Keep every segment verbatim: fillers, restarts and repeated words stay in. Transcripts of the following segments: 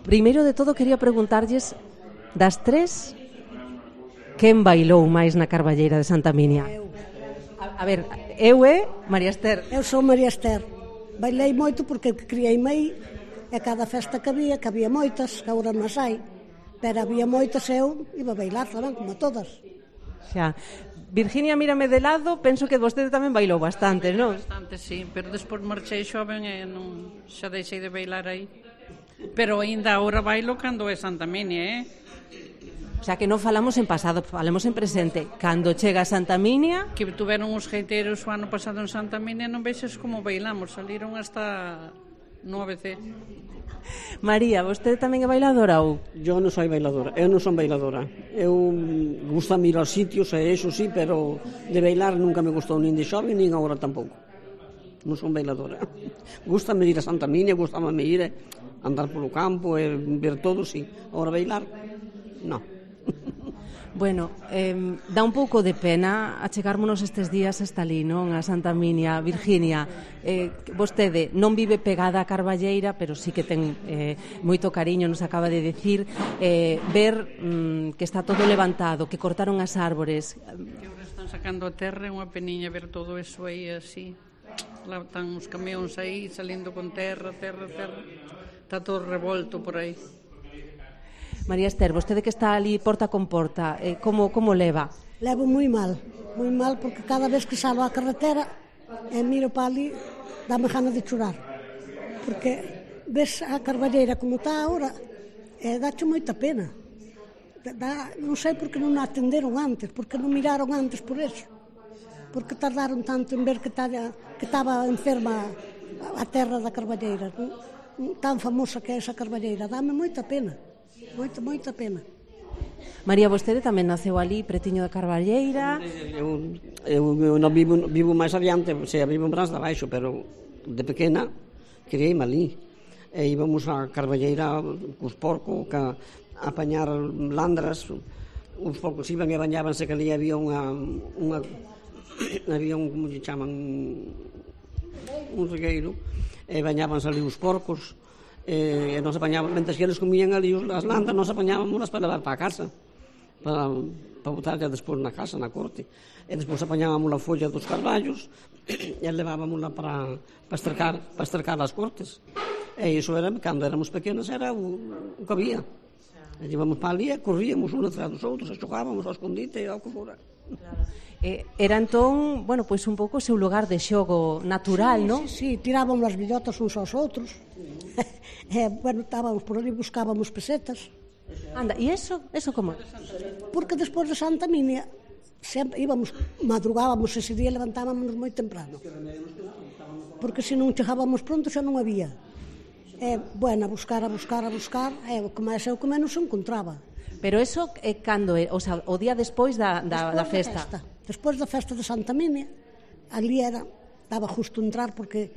primeiro de todo quería preguntarlles das tres, quen bailou máis na Carballeira de Santa Minia? Eu. A, a ver, eu e María Ester. Eu sou María Ester. Bailei moito porque criei-me aí, e cada festa que había, que había moitas, que agora non hai, pero había moitas, eu iba a bailar tamén, como todas. Xa. Virginia, mírame de lado, penso que vostede tamén bailou bastante, non? Bastante, sí, pero despois marchei xoven e non xa deixei de bailar aí. Pero aínda agora bailo cando é Santa Minia, eh? O sea, que non falamos en pasado, falamos en presente. Cando chega a Santa Minia... Que tuveron os geiteiros o ano pasado en Santa Minia, non veixes como bailamos, saliron hasta no A B C. María, vostede tamén é bailadora ou? Yo non soy bailadora, eu non son bailadora. Eu gusta ir aos sitios, e eso sí, pero de bailar nunca me gustou nin de xoven, nin agora tampouco. Non son bailadora. Gústame ir a Santa Minia, gustame ir a andar polo campo e ver todo, sí. Agora bailar, non. Bueno, eh, dá un pouco de pena achegármonos estes días hasta ali, non? A Santa Minia. Virginia, eh, vostede non vive pegada a Carballeira, pero sí que ten eh, moito cariño, nos acaba de decir, eh, ver mm, que está todo levantado, que cortaron as árbores. Que agora están sacando a terra, é unha peniña ver todo eso aí así. Lá están os camións aí, salindo con terra, terra, terra. Está todo revolto por aí. María Ester, vostede que está ali porta con porta, eh, como, como leva? Levo moi mal, moi mal, porque cada vez que salgo á carretera e miro para ali, dame gana de chorar. Porque ves a Carballeira como está agora, e dáche moita pena. Dá, non sei por que non a atenderon antes, porque non miraron antes por eso. Porque tardaron tanto en ver que estaba enferma a terra da Carballeira, tan famosa que é esa Carballeira. Dame moita pena. Moita, moita pena. María, vostede tamén naceu ali, pretiño da Carballeira. Eu, eu, eu non vivo, vivo máis adiante, o sea, vivo en Brás de Baixo, pero de pequena criei-me ali. E íbamos a Carballeira cos porcos, a, a apañar landras. Os porcos iban e bañábanse, que ali había unha, unha había un, como se chaman, un regueiro, e bañábanse ali os porcos. E nos apañábamos, mentre que eles comían ali as landas, nos apañábamos para levar para a casa, para, para botar ya despois na casa, na corte. E despois apañábamos a folla dos carballos e levábamos para, para estercar para estercar as cortes. E iso era, cando éramos pequenos, era o, o que había. E íbamos para ali e corríamos uns atrás dos outros, e xogábamos ao escondite e ao que fora. Eh, era entón, bueno, pois un pouco o seu lugar de xogo natural, sí, non? Sí, sí, tirábamos as billotas uns aos outros. E, bueno, estábamos por ali, buscábamos pesetas. Anda, e eso, eso como? Porque despois de Santa Minia sempre íbamos, madrugábamos ese día, levantábamos moi temprano. Porque se non chegábamos pronto xa non había. E, bueno, a buscar, a buscar, a buscar, e o que máis é o que menos se encontraba. Pero eso é cando, o sea, o día despois da, da, da festa. festa. Despois da festa de Santa Minia, ali era, daba justo entrar porque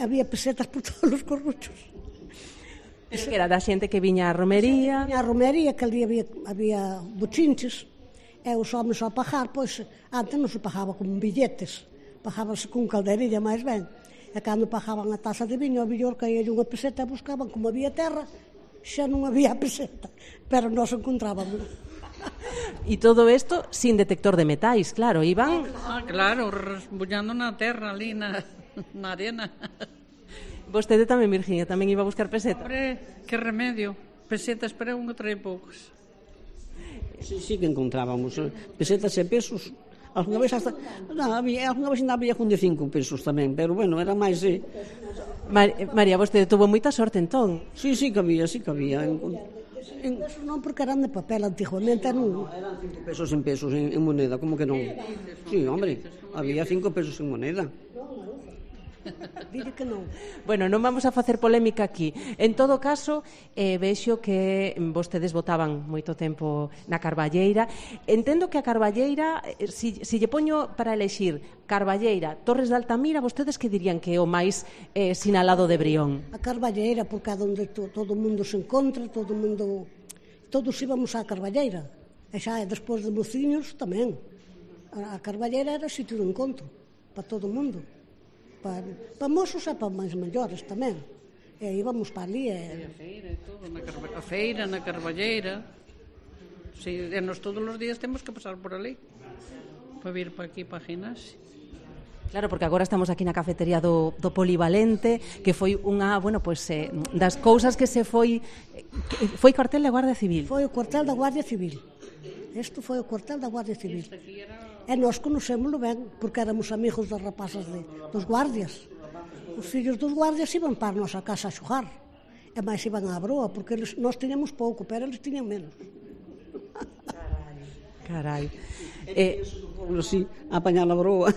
había pesetas por todos os corruchos. Es que era da xente que viña a romería. Viña a romería, que ali había, había bochinches, e os homens ao pagar, pois, antes non se pagaba con billetes, pagábase con calderilla máis ben. E cando pagaban a taza de viño, ao millor caía unha peseta e buscaban, como había terra, xa non había peseta, pero nós encontrábamos. E todo isto sin detector de metais, claro, iban... Ah, claro, resbullando na terra ali, na, na arena. Vostede tamén, Virginia, tamén iba a buscar pesetas? Hombre, que remedio, pesetas, pero un trae poucos. Sí, sí que encontrábamos pesetas e pesos. Alguna vez hasta, non, había, alguna vez ainda había con de cinco pesos tamén, pero bueno, era máis... Eh... Mar, María, vostede tuvo moita sorte entón. Sí, sí que había, sí que había. En, en... Non, porque eran de papel antiguamente, non? Eran cinco pesos en pesos, en, en moneda, como que non? Sí, hombre, había cinco pesos en moneda. Dile que non. Bueno, non vamos a facer polémica aquí. En todo caso, eh, vexo que vostedes votaban moito tempo na Carballeira. Entendo que a Carballeira, eh, si, si lle poño para elexir Carballeira, Torres de Altamira, vostedes que dirían que é o máis eh, sinalado de Brión? A Carballeira, porque é onde to, todo o mundo se encontra, todo o mundo... Todos íbamos á Carballeira. E xa, despois de mociños, tamén. A Carballeira era sitio de encontro para todo o mundo. Para, para mozos e para máis maiores tamén. E íbamos para ali. E... a feira e todo, na Carba... a feira, na Carballeira. Si, e nos todos os días temos que pasar por ali para vir para aquí, para a Ginásio. Claro, porque agora estamos aquí na cafetería do, do Polivalente, que foi unha, bueno, pois, eh, das cousas que se foi... Que foi cuartel da Guardia Civil. Foi o cuartel da Guardia Civil. Isto foi o cuartel da Guardia Civil. E nós conocémoslo ben, porque éramos amigos das rapazas de, dos guardias. Os fillos dos guardias iban para a nosa casa a xogar. E máis iban á broa, porque eles, nós tiñamos pouco, pero eles tiñan menos. Carai. E, eh, sí, a apañar a broa.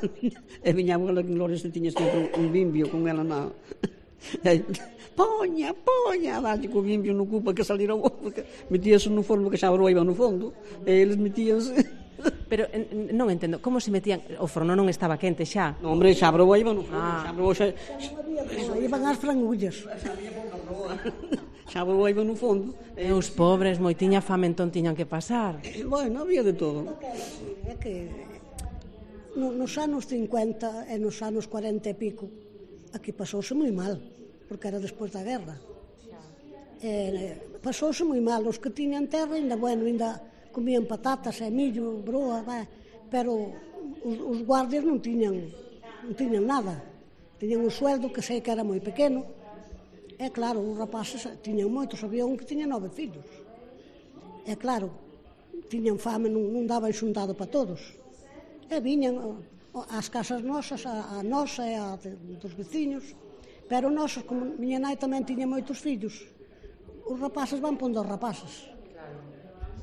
E viña a abuela que Gloria se tiña sempre un bimbio con ela na... Poña, poña, dalle co bimbio no cu para que salira o porque metíase no forno que xa a broa iba no fondo, e eles metíanse... Pero non entendo, como se metían? O forno non estaba quente xa? No, hombre, xa a broa iba no fondo, Ah. xa a broa xa... Iban as frangullas. Xa a broa iba no fondo. E os pobres, moi tiña fame, entón tiñan que pasar. E, bueno, había de todo. É que no, nos anos cincuenta e nos anos cuarenta e pico aquí pasouse moi mal, porque era despois da guerra. E, pasouse moi mal, os que tiñan terra ainda, bueno, ainda comían patatas e millo, broa, vai, pero os, os guardias non tiñan non tiñan nada, tiñan un sueldo que sei que era moi pequeno. E claro, os rapaces tiñan moitos, había un que tiña nove fillos. E claro, tiñan fame, non, non daban xuntado para todos. E viñan ás casas nosas, a, a nosa e a de, dos veciños, pero nosos, como miña nai tamén tiña moitos fillos, os rapaces van pondo os rapaces.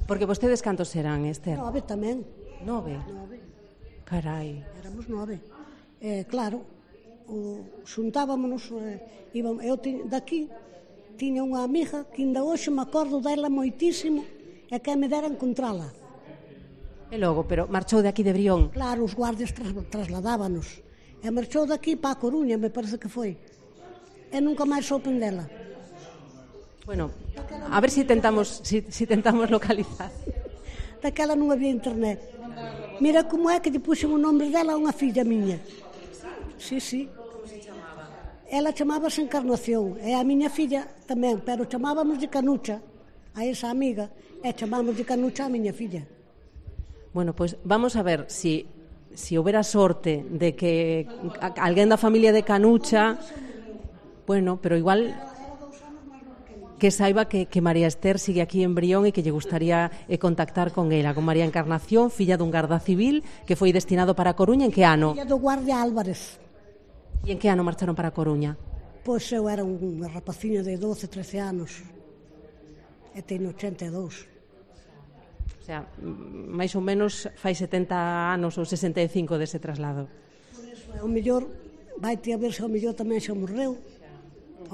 Porque vostedes cantos serán, Esther? Nove tamén. Nove? Nove. Carai. Éramos nove. E claro, o, xuntábamos, eh, íbamos, eu ti, daqui tiña unha amiga que ainda hoxe me acordo dela moitísimo e que me dera encontrala. E logo, pero marchou de aquí de Brión? Claro, os guardias tras, trasladábanos. E marchou daqui para a Coruña, me parece que foi. E nunca máis soupen dela. Bueno, a ver si tentamos, si, si tentamos localizar. Daquela non había internet. Mira como é que lle puxen o nome dela a unha filla miña. Sí, sí. Ela chamábase Encarnación, e a miña filla tamén, pero chamábamos de Canucha a esa amiga, e chamábamos de Canucha a miña filla. Bueno, pois pues vamos a ver si si houbera sorte de que alguén da familia de Canucha, bueno, pero igual que saiba que, que María Esther sigue aquí en Brión e que lle gustaría eh, contactar con ela, con María Encarnación, filla dun garda civil que foi destinado para a Coruña. En que ano? Filla do guardia Álvarez. E en que ano marcharon para a Coruña? Pois eu era unha rapaciña de doce, trece anos. E teño ochenta e dous. O sea, máis ou menos fai setenta anos ou sesenta e cinco dese traslado. O mellor, vaite a ver se o mellor tamén xa morreu,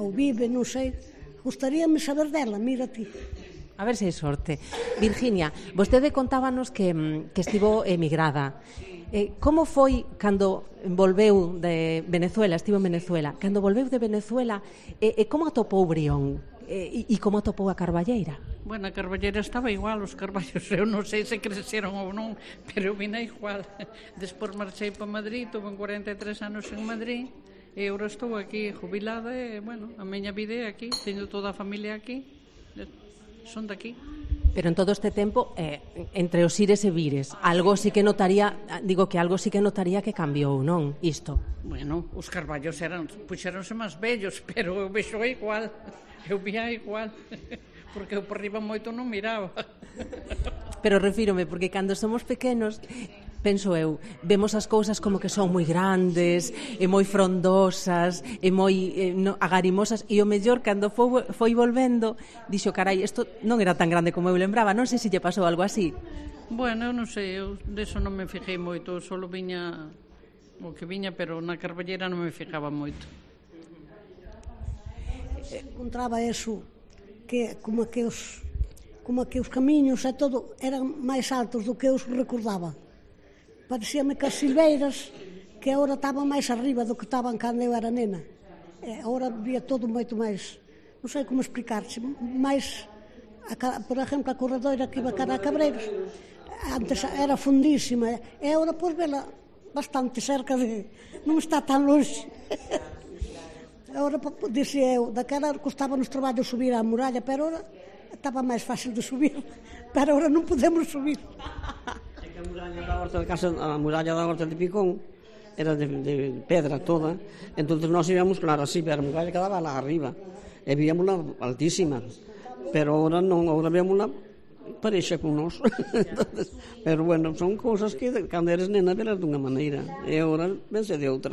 ou vive, non sei. Gustaríame saber dela, mira ti. A ver se hai sorte. Virginia, vostede contábanos que, que estivo emigrada. Eh, como foi cando volveu de Venezuela, estivo en Venezuela, cando volveu de Venezuela, e eh, eh, como atopou Brión? E eh, como atopou a Carballeira? Bueno, a Carballeira estaba igual, os carballos, eu non sei se cresceron ou non, pero vina igual. Despois marchei para Madrid, tuve cuarenta e tres anos en Madrid, e agora estou aquí jubilada e, bueno, a miña vida é aquí, teño toda a familia aquí, son de aquí. Pero en todo este tempo, eh, entre os ires e vires, algo sí que notaría, digo que algo sí que notaría que cambiou, non? Isto. Bueno, os carballos eran, puxeronse máis vellos, pero eu vexo igual, eu vía igual, porque eu por riba moito non miraba. Pero refírome, porque cando somos pequenos, penso eu, vemos as cousas como que son moi grandes, e moi frondosas, e moi eh, no, agarimosas, e o mellor, cando foi, foi volvendo, dixo, carai, isto non era tan grande como eu lembraba, non sei se lle pasou algo así. Bueno, eu non sei, eu deso non me fijei moito, só viña o que viña, pero na Carballeira non me fijaba moito. Encontraba eso, que como que os como que os camiños e todo eran máis altos do que eu recordaba. Parecíame que as silveiras que agora estaban máis arriba do que estaban cando eu era nena. E agora vía todo moito máis, non sei como explicarse, máis, a, por exemplo, a corredoira que iba cara a Cabreiros, antes era fundísima, e agora pois vela bastante cerca de, non está tan longe. Agora, dixía eu, daquela costaba nos traballos subir á muralla, pero agora estaba máis fácil de subir, pero agora non podemos subir. É que a muralla da horta de casa, a muralla da horta de Picón era de, de pedra toda, entonces nós íbamos, claro, así, pero a muralla quedaba lá arriba, e víamosla altísima, pero agora non, agora víamosla parexa con nós. Entonces, pero bueno, son cousas que cando eres nena velas dunha maneira, e agora vense de outra.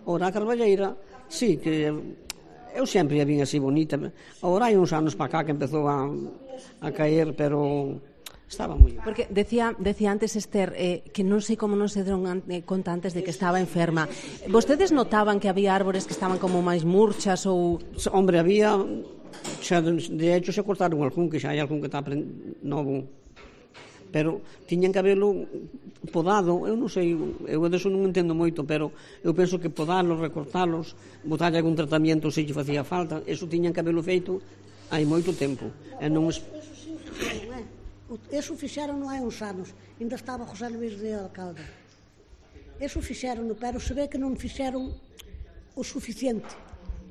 Agora a Carballeira, sí, que eu sempre a vin así bonita. Agora hai uns anos para cá que empezou a, a caer, pero estaba moi... Porque decía, decía antes Esther eh, que non sei como non se deron an, eh, conta antes de que estaba enferma. Vostedes notaban que había árbores que estaban como máis murchas ou... Hombre, había... Xa, de hecho, se cortaron algún, que xa hai algún que está novo. Pero tiñan que haberlo podado, eu non sei, eu deso non entendo moito, pero eu penso que podalos, recortalos, botarlle algún tratamento se lle facía falta, eso tiñan que haberlo feito hai moito tempo. E non es... Eso fixeron hai uns anos, ainda estaba José Luís de alcalde. Eso fixeron, pero se ve que non fixeron o suficiente,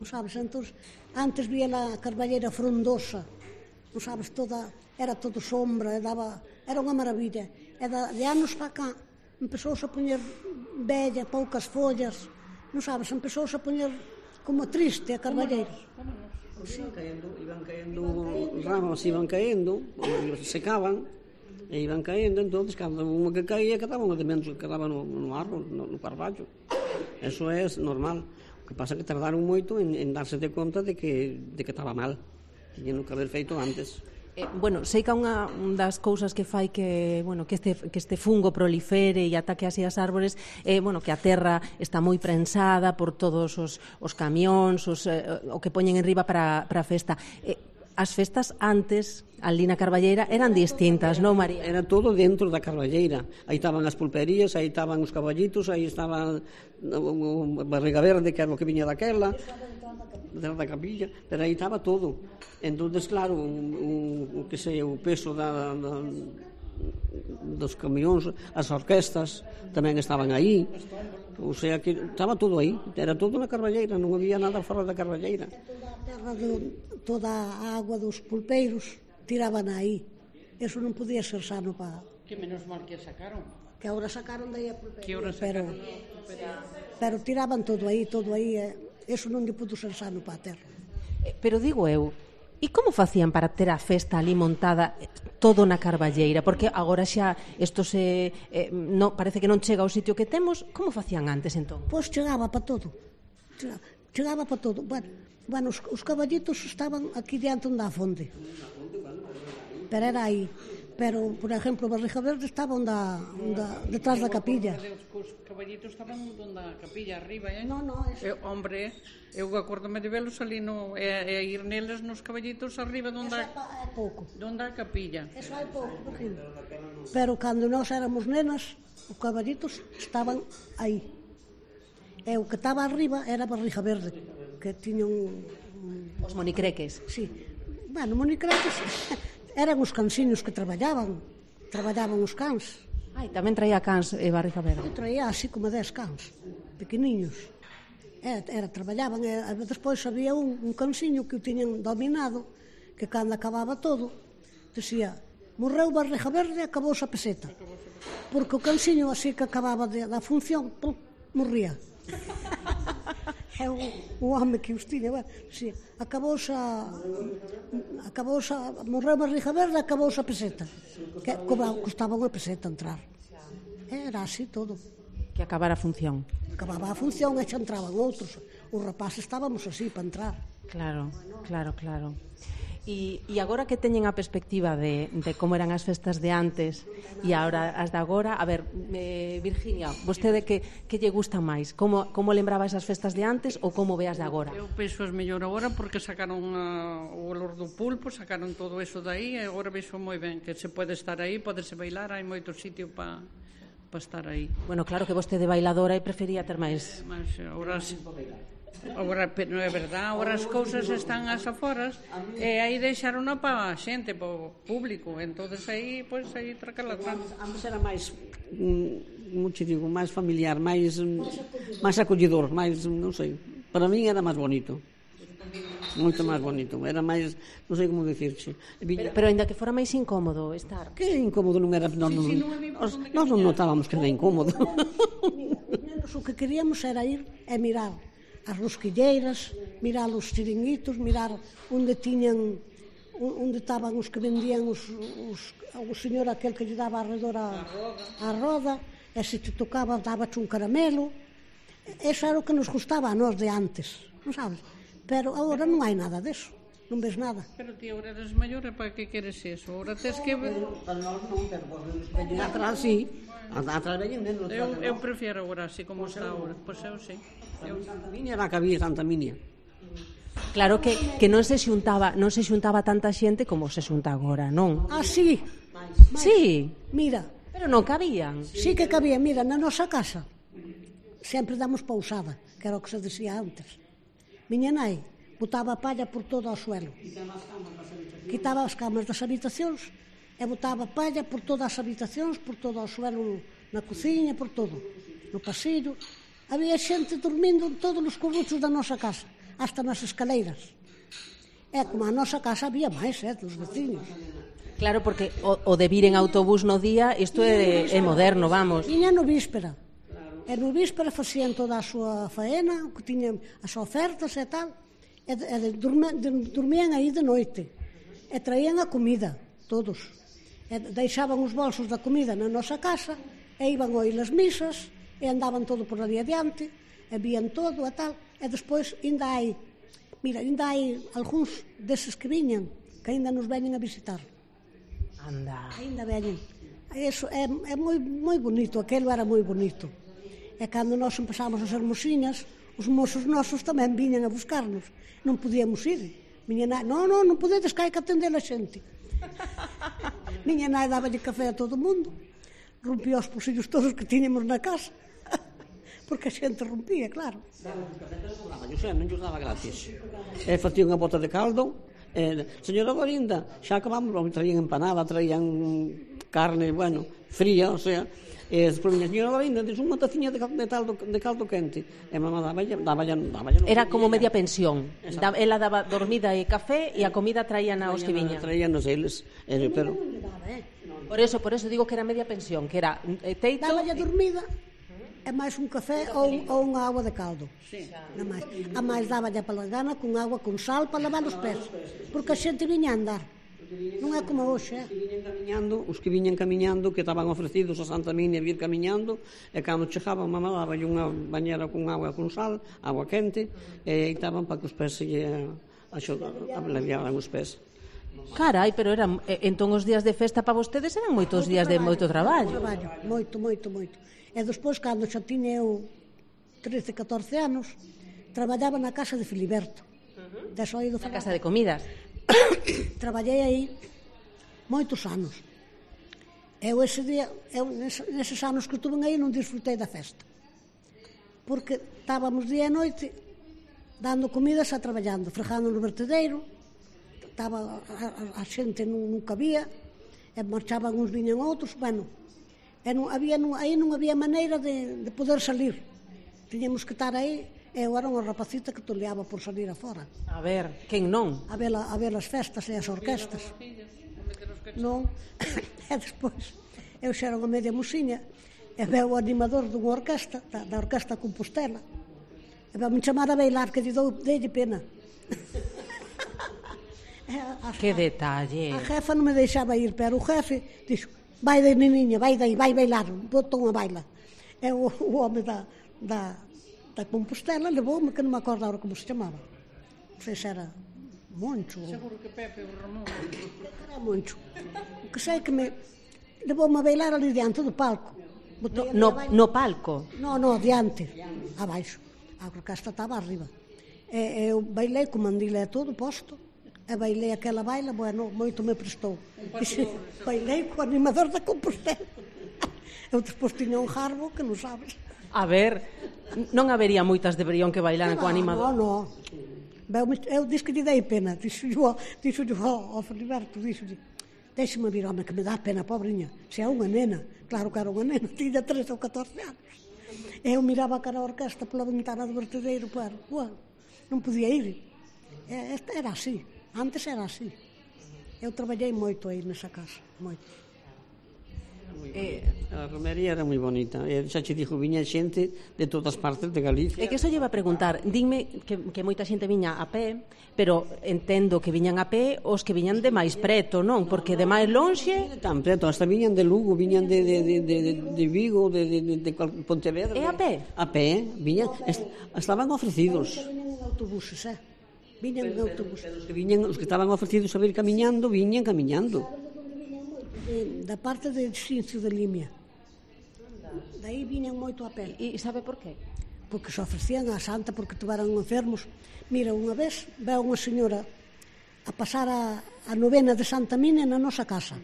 non sabes? Entón, antes vía a Carballeira frondosa, non sabes, toda, era todo sombra, e daba, era unha maravilla. E da, de anos para cá, empezouse a poñer bella, poucas follas, non sabes, empezouse a poñer como triste a Carballeira. Sí. Iban caendo, iban caendo ramas, iban caendo, secaban, e iban caendo, entonces, cada unha que caía, quedaba unha de menos que quedaba no, no árbol, no, no carballo. Eso é normal. O que pasa é que tardaron moito en, en darse de conta de que, de que estaba mal. Tiñen que haber feito antes. Eh, bueno, sei que unha das cousas que fai que, bueno, que este que este fungo prolifere e ataque así as árbores, eh, bueno, que a terra está moi prensada por todos os, os camións, os, eh, o que poñen en riba para, para a festa. Eh, as festas antes, ali na Carballeira, eran distintas, non, María? Era todo dentro da Carballeira. Aí estaban as pulperías, aí estaban os caballitos, aí estaba o barriga verde, que era o que viña daquela, da capilla, pero aí estaba todo. Entonces, claro, o, o que sei, o peso da, da, dos camións, as orquestas tamén estaban aí, o sea que estaba todo aí, era todo na Carballeira, non había nada fora da Carballeira. Toda a terra, do, toda a agua dos pulpeiros tiraban aí, eso non podía ser sano para... Que menos mal que sacaron. Que ahora sacaron daí a pulpeira, Que ahora pero, pero tiraban todo aí, todo aí, eh, eso non lle pudo ser sano para a terra. Pero digo eu, e como facían para ter a festa ali montada todo na Carballeira? Porque agora xa isto se eh, no, parece que non chega ao sitio que temos. Como facían antes, entón? Pois chegaba para todo. Chegaba, chegaba para todo. Bueno, bueno os, os caballitos estaban aquí diante onde a fonte. Pero era aí. Pero, por exemplo, Barriga Verde estaba onde, onde, detrás da capilla. Os caballitos estaban onde a capilla arriba, eh? No, no, eso... Eu, hombre, eu acordome de velos ali no, e, e ir neles nos caballitos arriba onde a, é pouco. Onde a capilla. Eso é pouco, imagino. Pero cando nós éramos nenas, os caballitos estaban aí. E o que estaba arriba era Barriga Verde, que tiña un... un... Os monicreques. Sí. Bueno, monicreques... Eran os cansiños que traballaban, traballaban os cans. Ai, tamén traía cans e Barriga Verde. Eu traía así como dez cans, pequeniños. Era, era traballaban, e despois había un, un cansiño que o tiñan dominado, que cando acababa todo, decía, morreu Barriga Verde e acabouse a peseta. Porque o cansiño así que acababa de, da función, pum, morría. É o, o home que os tiña, bueno, sí, acabouse a, acabouse a, morreu Barriga Verde, acabouse a peseta, que costaba unha peseta entrar. Era así todo. Que acabara a función. Acababa a función e xa entraban outros. Os rapaces estábamos así para entrar. Claro, claro, claro. E, e agora que teñen a perspectiva de, de como eran as festas de antes e agora as de agora, a ver, eh, Virginia, vostede que, que lle gusta máis? Como, como lembraba esas festas de antes ou como veas de agora? Eu penso as mellor agora porque sacaron a, o olor do pulpo, sacaron todo eso de aí e agora vexo moi ben que se pode estar aí, podese bailar, hai moito sitio para pa estar aí. Bueno, claro que vostede bailadora e prefería ter máis... Mas agora... Agora, non é verdade, agora as cousas están as aforas e aí deixaron para a xente, para o público, entonces aí, pois, aí tracala atrás. Antes era máis, como te digo, máis familiar, máis máis acollidor, máis, non sei, Para mí era máis bonito. Moito máis bonito. Era máis, non sei como dicirche. Pero, pero ainda que fora máis incómodo estar. Que incómodo non era, non, non, nós non notábamos que era incómodo. Mira, o que queríamos era ir e mirar as rosquilleiras, mirar os chiringuitos, mirar onde tiñan, onde estaban os que vendían os, os, o señor aquel que lle daba alrededor a, a roda, e se te tocaba daba-te un caramelo. Eso era o que nos gustaba a nós de antes, non sabes? Pero agora non hai nada deso, non ves nada. Pero ti agora eres maior e para que queres eso? Agora tes que... Para nós non, pero veñen atrás, sí. Atrás veñen menos. Eu, eu prefiero agora así como está agora. Pois eu sí. Eu... Santa Minia era que había Santa Minia. Claro que, que non se xuntaba non se xuntaba tanta xente como se xunta agora, non? Ah, sí. Sí, Mira, pero non cabían. sí que cabía, mira, na nosa casa sempre damos pausada, que era o que se decía antes. Miña nai botaba a palla por todo o suelo. Quitaba as camas das habitacións e botaba palla por todas as habitacións, por todo o suelo, na cociña, por todo, no pasillo. Había xente dormindo en todos os corruchos da nosa casa, hasta nas escaleiras. E como a nosa casa había máis, eh, dos veciños. Claro, porque o, o de vir en autobús no día, isto é, é moderno, vamos. Viña no víspera. E no víspera facían toda a súa faena, que tiñan as ofertas e tal, e, e de, dorme, de, dormían aí de noite. E traían a comida, todos. E deixaban os bolsos da comida na nosa casa, e iban a oír as misas, e andaban todo por ali adiante, e vían todo e tal. E despois ainda hai, mira, ainda hai algúns deses que viñan, que ainda nos veñen a visitar. Anda. Ainda veñen. Eso é, é moi, moi bonito, aquelo era moi bonito. E cando nós empezamos a ser mociñas, os mozos nosos tamén viñan a buscarnos. Non podíamos ir. Miña nai, non, non, non podedes, que hai que atender a xente. Miña nai dáballe café a todo o mundo, rompía os pulsillos todos que tiñamos na casa, porque a xente rompía, claro. Eu sei, non lles daba gratis. E facía unha bota de caldo, e, señora Gorinda, xa acabamos, traían empanada, traían carne, bueno, fría, o sea, e despois viña a señora Gorinda, diz unha taciña de, de, caldo, de caldo quente, e mamá daba daba era como media pensión. Da, ela daba dormida e café e a comida traían aos que viñan. Traíanos eles, e, pero... Por eso, por eso digo que era media pensión, que era eh, teito... Daba dormida e máis un café ou, ou unha agua de caldo. Sí. A máis, a máis dáballe a palangana con agua con sal para lavar os pés, porque a xente viña a andar. Non é como hoxe, eh? Viñen camiñando, os que viñen camiñando, que estaban ofrecidos a Santa Minia vir camiñando, e cando chegaban, mamá daballe unha bañera con agua con sal, agua quente, e estaban para que os pés se aliviaran os pés. Carai, pero era, entón os días de festa para vostedes eran moitos días de moito traballo. Traballo, moito, moito, moito. E despois, cando xa tiña eu trece, catorce anos, traballaba na casa de Filiberto. Uh-huh. Na casa de comidas. Traballei aí moitos anos. Eu ese día, eu neses anos que estuve aí non disfrutei da festa. Porque estábamos día e noite dando comidas a traballando, fregando no vertedeiro, estaba a, a, a xente non, non cabía, e marchaban uns, viñan outros, bueno, e non había, non, aí non había maneira de, de poder salir. Tiñamos que estar aí. Eu era unha rapacita que toleaba por salir afora. A ver, quen non? A ver, a, a ver as festas e as orquestas. Non. E despois, eu xa era unha media mociña, e veo o animador dunha orquesta, da, da Orquesta Compostela, e veo me chamar a bailar, que lle dou delle pena. A, que detalle. A jefa non me deixaba ir, pero o jefe dixo, vai de neniña, vai daí, vai bailar, botou unha baila. E o, o home da... da da Compostela levou-me, que non me acordo agora como se chamaba. Non sei se era Moncho. Seguro que Pepe ou Ramón. Era Moncho. O que sei que me levou-me a bailar ali diante do palco. No, no, no palco? No, no, diante, abaixo. A orquestra estaba arriba. E, eu bailei co mandile e todo posto, e bailei aquela baila, bueno, moito me prestou. Dixe, bailei co animador da Compostela. Eu despois tiña un jarbo que non sabes. A ver, non habería moitas de Brión que bailaran co animador. No, no. Eu, eu dix que lle dei pena. Dixo yo ao Filiberto, dixo deixe-me vir, home, que me dá pena, pobrinha. Se é unha nena. Claro que era unha nena, tiña trece ou catorce anos. Eu miraba a cara a orquesta pola ventana do vertedeiro, pero, bueno, non podía ir. Era así, antes era así. Eu traballei moito aí nesa casa, moito. Eh, a romería era moi bonita, e xa che dixo, viña xente de todas partes de Galicia. É que eso lleva a preguntar, dime que, que moita xente viña a pé, pero entendo que viñan a pé os que viñan de máis preto, non? Porque de máis lonxe... Tan preto, hasta viñan de Lugo, viñan de, de, de, de, de Vigo, de, de, de, de Pontevedra. É a pé? A pé, viñan, est, estaban ofrecidos. Viñan en autobuses, eh? Viñan en autobuses. Os que, viñan, os que estaban ofrecidos a vir camiñando, viñan camiñando. De, da parte de Xincio de Limia. Daí viñan moito a pé. E sabe por qué? Porque se ofrecían a Santa porque tuveran enfermos. Mira, unha vez veo unha señora a pasar a, a novena de Santa Minia na nosa casa.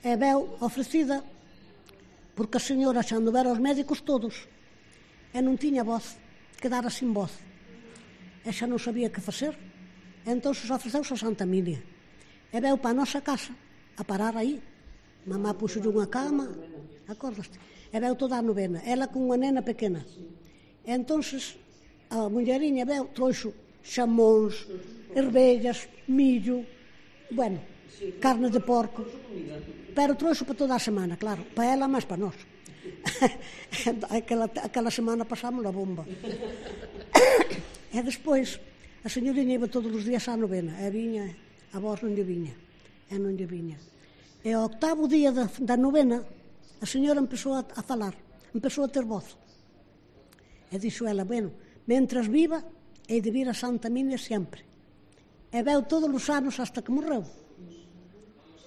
E veo ofrecida porque a señora xa anduvera aos médicos todos e non tiña voz, quedara sin voz. E xa non sabía que facer. E entón se ofreceuse a Santa Minia. E veo para a nosa casa a parar aí. Mamá puxolle unha cama, acordaste? E veu toda a novena, ela con unha nena pequena. E entonces a mulleriña veu, trouxo xamóns, ervellas, millo, bueno, carne de porco, pero trouxo para toda a semana, claro, para ela máis para nós. aquela, aquela semana pasamos a bomba. E despois a señoriña iba todos os días á novena, e viña, a voz non lle viña, e non lle viña. E ao octavo día da, da novena, a señora empezou a, a falar, empezou a ter voz. E dixo ela, bueno, mentras viva, hei de vir a Santa Minia sempre. E veu todos os anos hasta que morreu.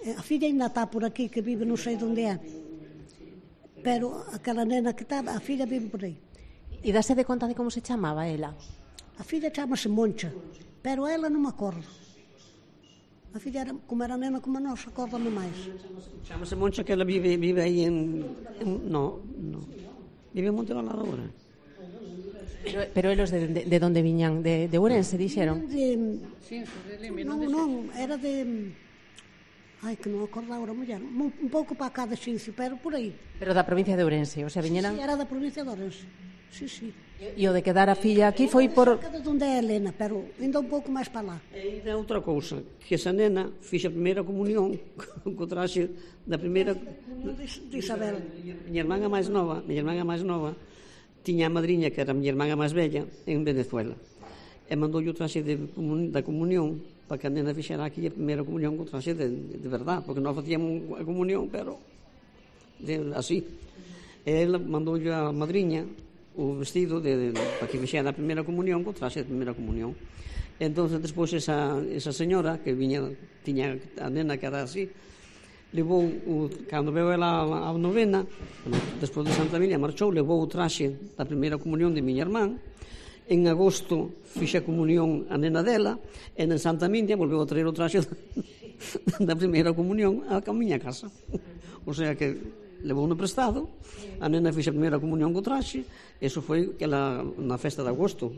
E a filla ainda está por aquí, que vive non sei onde é. Pero aquela nena que estaba, a filla vive por aí. E dáse de conta de como se chamaba ela? A filla chamase Moncha, pero ela non me acordo. A filla era, como era nena como nós, acórdame máis. Chamase Moncha, que ela vive, vive aí en... en no, no. Vive en Montevalado agora. Pero, pero eles de, de, de onde viñan? De, de Ourense, dixeron? De, Sí, de Limia, non, non, non, era de... Ai, que non acordo agora, muller. Un, un pouco para cá de Xincio, pero por aí. Pero da provincia de Ourense, o sea, viñeran... Sí, era da provincia de Ourense. Sí, sí. E o de quedar a filla aquí foi por... Cerca de onde é Helena, pero ainda un pouco máis para lá. E ainda outra cousa, que esa nena fixe a primeira comunión co traxe da primeira... De, de Isabel. Miña irmán a máis nova, miña irmán a máis nova, tiña a madriña, que era a miña irmán a máis bella, en Venezuela. E mandoulle o traxe de, da comunión para que a nena fixera aquí a primeira comunión co traxe de, de verdad, porque nós facíamos a comunión, pero de, así. E ela mandoulle a madriña o vestido de, de, para que fixera a primeira comunión co traxe de primeira comunión. E entón, despois, esa, esa señora que viña, tiña a nena que era así, levou, o, cando veu ela a novena, despois de Santa Minia, marchou, levou o traxe da primeira comunión de miña irmán. En agosto fixe a comunión a nena dela, e en Santa Minia volveu a traer o traxe da primeira comunión a miña casa. O sea que levou no prestado, a nena fixe a primeira comunión co traxe, eso foi que ela, na festa de agosto.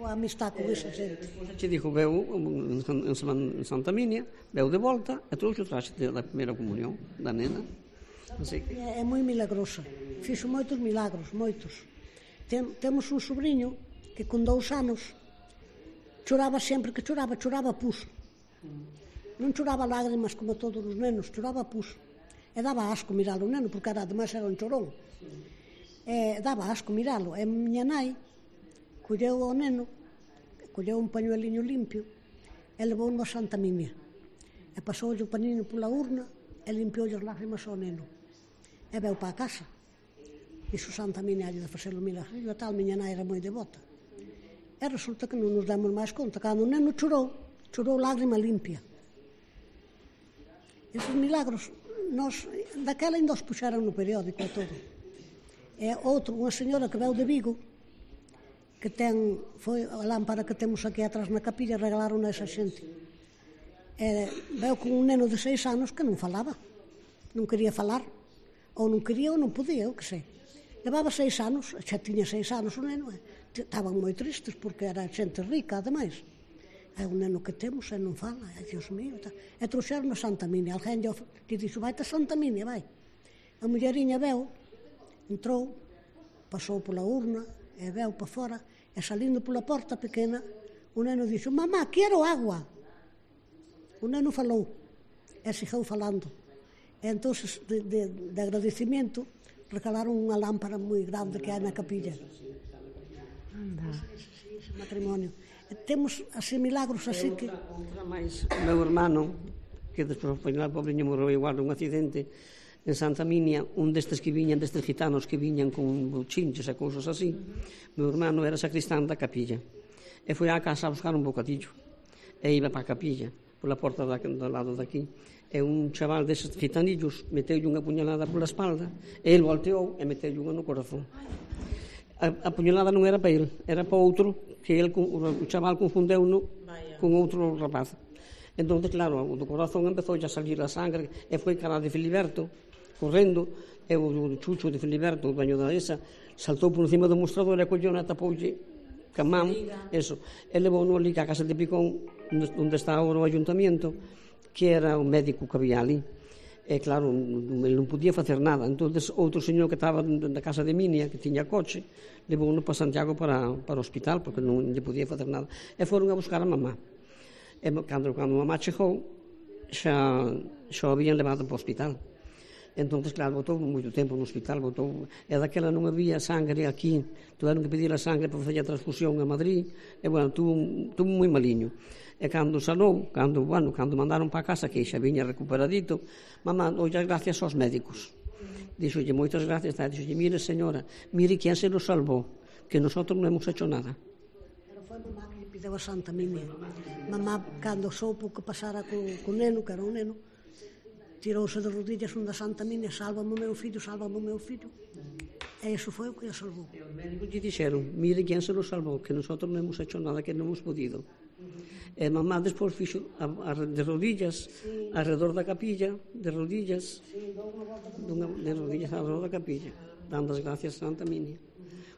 Boa amistad con esa xente. Che dixo, veu en, en Santa Minia, veu de volta e trouxe o traxe da primeira comunión da nena. Así que... É, é moi milagrosa. Fixo moitos milagros, moitos. Tem, temos un sobrinho que con dous anos choraba sempre que choraba, choraba pus. Non choraba lágrimas como todos os nenos, choraba pus. E daba asco miralo o neno, porque era, ademais era un chorón. E daba asco miralo. E miña nai colleu o neno, colleu un pañueliño limpio e levou a Santa Minia. E pasoulle o panino pola urna e limpioulle as lágrimas ao neno. E veu para a casa. Dixo Santa Minia de facelo milagro. E a tal miña nai era moi devota. E resulta que non nos demos máis conta. Cando o neno chorou, chorou lágrima limpia. Esos milagros, nos, daquela ainda os puxeran no periódico e todo. E outro, unha señora que veu de Vigo, que ten, foi a lámpara que temos aquí atrás na capilla, regalaron a esa xente. E veu con un neno de seis anos que non falaba, non quería falar, ou non quería ou non podía, eu que sei. Levaba seis anos, xa tiña seis anos o neno, e estaban moi tristes porque era xente rica, ademais. É un neno que temos e non fala, e Dios mío, tá. E trouxeron a Santa Minia, alguén lle dixo, vai a Santa Minia, vai. A mulleriña veu, entrou, pasou pola urna, e veu para fora, E salindo pola porta pequena, o neno dixo, mamá, quero agua. O neno falou, e seguiu falando. E entón, de, de, de agradecimiento, regalaron unha lámpara moi grande que hai na capilla. Anda. Ese matrimonio. E temos así milagros así que... Outra máis, o meu hermano, que despois o pobriño morreu igual nun accidente, en Santa Minia, un destes que viñan, destes gitanos que viñan con buchinches e cousas así, meu hermano era sacristán da capilla. E foi á casa a buscar un bocadillo. E iba para a capilla, pola porta da, do lado daqui. E un chaval deses gitanillos meteulle unha puñalada pola espalda, e ele volteou e meteulle unha no corazón. A, a puñalada non era para ele, era para outro, que ele, o chaval confundeu-no con outro rapaz. Entón, claro, o do corazón empezou a salir a sangre, e foi cara de Filiberto, correndo, e o chucho de Filiberto, o dueño da esa, saltou por encima do mostrador e colleu na tapoulle ca man, eso, e levou-no ali a casa de Picón, onde está agora o ayuntamiento, que era o médico que había ali. E claro, ele non podía facer nada. Entón, outro señor que estaba na casa de Minia, que tiña coche, levou-no para Santiago para, para o hospital, porque non lle podía facer nada. E foron a buscar a mamá. E cando, cando a mamá chegou, xa, xa o habían levado para o hospital. Entón, claro, botou moito tempo no hospital, botou, e daquela non había sangre aquí, tuveron que pedir a sangre para facer a transfusión a Madrid, e, bueno, tuvo, tuvo moi maliño. E cando salou, cando, bueno, cando mandaron para casa, que xa viña recuperadito, mamá, oye, gracias aos médicos. Dixolle, moitas gracias, dixolle, mire, señora, mire quen se nos salvou, que nosotros non hemos hecho nada. Pero foi mamá que lle pideu a Santa Minia. Mamá, cando soupo que pasara co, co neno, que era un neno, tirouse de rodillas onde a Santa Minia, sálvame o meu fillo, sálvame o meu fillo. E iso foi o que a salvou. E os médicos lle dixeron, mire quen se nos salvou, que nosotros non hemos hecho nada, que non hemos podido. E mamá despois fixo a, a, de rodillas, sí, alrededor da capilla, de rodillas, sí, dunha, de rodillas alrededor da capilla, dando as gracias a Santa Minia.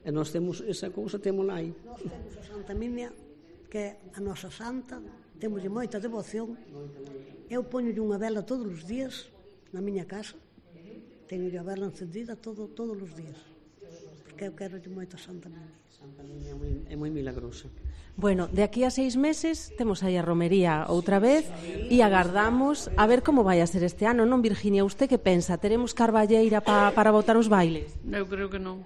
E nós temos esa cousa, temos lá aí. Nós temos a Santa Minia, que é a nosa santa, temos moita devoción. Eu poñolle unha vela todos os días na miña casa, teño a vela encendida todo, todos os días, porque eu quero moito a Santa Minia. Santa Minia é moi, é moi milagrosa. Bueno, de aquí a seis meses temos aí a romería outra vez e agardamos a ver como vai a ser este ano, non, Virginia? Usted que pensa? Teremos carballeira pa, para botar os bailes? Eu creo que non.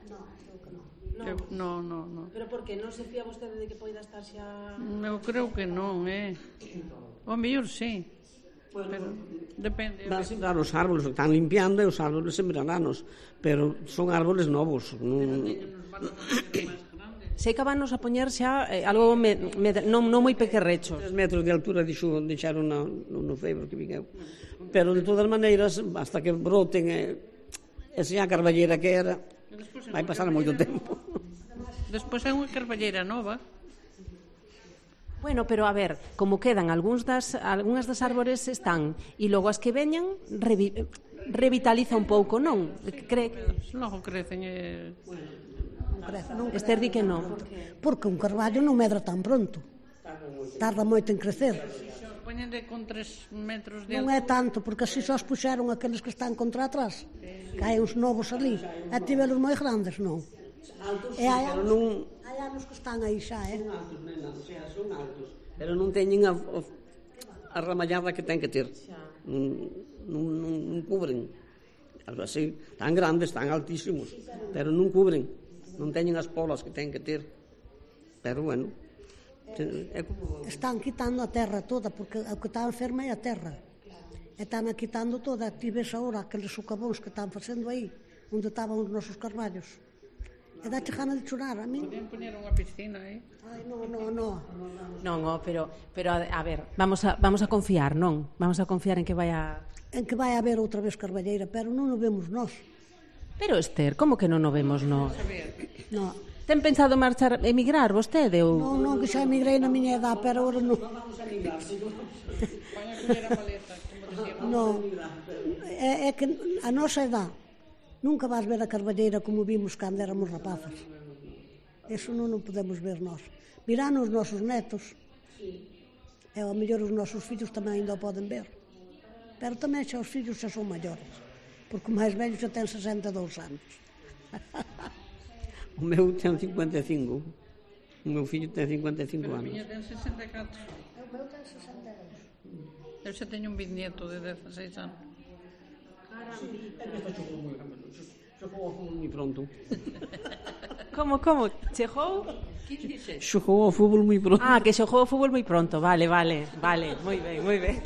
Eu, no, no, no. Pero por que? Non se fía vostede de que poida estar xa... Eu creo que non, eh. O mellor sí. Pero depende. Van sembrar os árboles, están limpiando e os árboles sembraranos, pero son árboles novos. Non... Sei que van nos a poñer xa eh, algo me, me, non, non moi pequerrechos. Tres metros de altura dixo, deixaron no, no, no febro que vingueu. Pero de todas maneiras, hasta que broten e, e se a carballeira que era, vai pasar moito tempo. Despois é unha carballeira nova. Bueno, pero a ver, como quedan algúns das, algúnas das árbores están e logo as que veñan revi, revitaliza un pouco, non? Cree... Logo crecen e... Crece, non Esther di que non. Porque un carballo non medra tan pronto. Tarda moito en crecer. Poñen de con tres metros de Non é tanto, porque así só os puxeron aqueles que están contra atrás. Que hai uns novos ali. E tivelos moi grandes, non? E hai anos, non... hai anos que están aí xa, eh? Son altos, nena, o sea, son altos. Pero non teñen a, a ramallada que ten que ter. Non, non, non, non cubren. Algo así, tan grandes, tan altísimos, pero non cubren. Non teñen as polas que ten que ter. Pero, bueno, é como... Están quitando a terra toda, porque o que está enferma é a terra. E están quitando toda. Ti ves agora aqueles socavóns que están facendo aí, onde estaban os nosos carballos. E dá gana de chorar, a mí. Podían poñer unha piscina aí. Ai, non, non, non. Non, oh, pero, pero a, a ver, vamos a, vamos a confiar, non? Vamos a confiar en que vai a... En que vai haber outra vez carballeira, pero non o vemos nós. Pero, Esther, como que non o vemos, non? Non. Ten pensado marchar, emigrar vostede? Ou... Non, non, que xa emigrei na miña edad, pero agora non. Non. É, é que a nosa edad nunca vas ver a carballeira como vimos cando éramos rapazas. Eso non o podemos ver nós. Virán os nosos netos. E ao mellor os nosos fillos tamén ainda o poden ver. Pero tamén xa os fillos xa son maiores. Porque o máis velho xa ten sesenta e dous anos. O meu ten cincuenta e cinco. O meu fillo ten cincuenta e cinco Pero a anos. miña ten sesenta e catro. O meu ten sesenta e dous. Eu xa teño un bisnieto de dezaseis anos. Xogou ao fútbol moi pronto. Como, como? Chegou? Xogou ao fútbol moi pronto. Ah, que xogou o fútbol moi pronto. Vale, vale, vale. Moi ben, moi ben.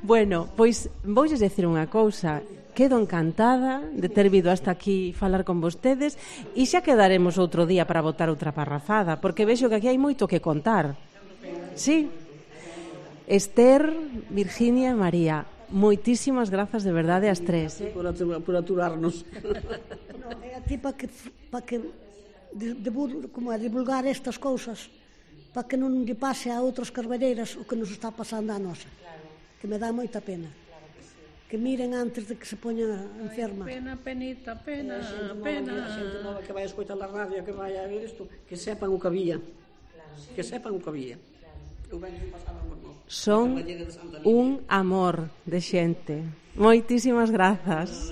Bueno, pois voulles decir unha cousa. Quedo encantada de ter vido hasta aquí falar con vostedes e xa quedaremos outro día para botar outra parrafada, porque vexo que aquí hai moito que contar. Sí. Esther, Virginia e María, moitísimas grazas de verdade ás tres. Por, atur, por aturarnos. No, é a ti para que, pa que de, de, como é, divulgar estas cousas, para que non lle pase a outras carballeiras o que nos está pasando a nosa. Que me dá moita pena. Que miren antes de que se poña enferma. Pena, penita, pena, pena. A xente nova que vai a escoitar a radio, que vai a ver isto, que sepan o que había. Que sepan o que había. Son un amor de xente. Moitísimas grazas.